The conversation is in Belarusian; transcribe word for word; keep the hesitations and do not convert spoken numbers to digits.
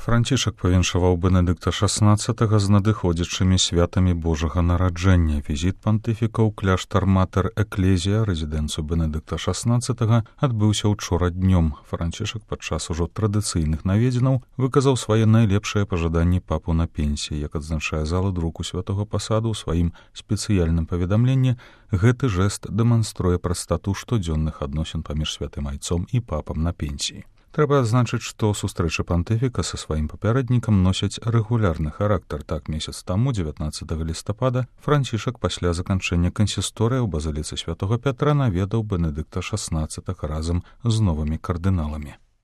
Францішак павіншаваў Бенедыкта шаснаццатага з надыходзячымі святамі Божага нараджэння. Візіт пантыфіка ў кляштар Матэр Эклезія, рэзідэнцыю Бенедыкта шаснаццатага, адбыўся учора днём. Францішак падчас ужо традыцыйных наведзінаў выказаў свае найлепшыя пажаданні папу на пенсіі. Як адзначае зала друку святого пасаду ў сваім спецыяльным паведамленні, гэты жэст дэманструе прастату штодзённых адносін паміж святым айцом і папам на пенсіі. Трэба адзначыць, што сустрэчы пантыфіка са сваім папярэднікам носяць рэгулярны характар. Так, месяц таму, дзевятнаццатага лістапада, Францішак пасля заканчэння кансісторыі ў базыліцы святого Пятра наведаў Бенедыкта шаснаццатага разам з новымі кардыналамі.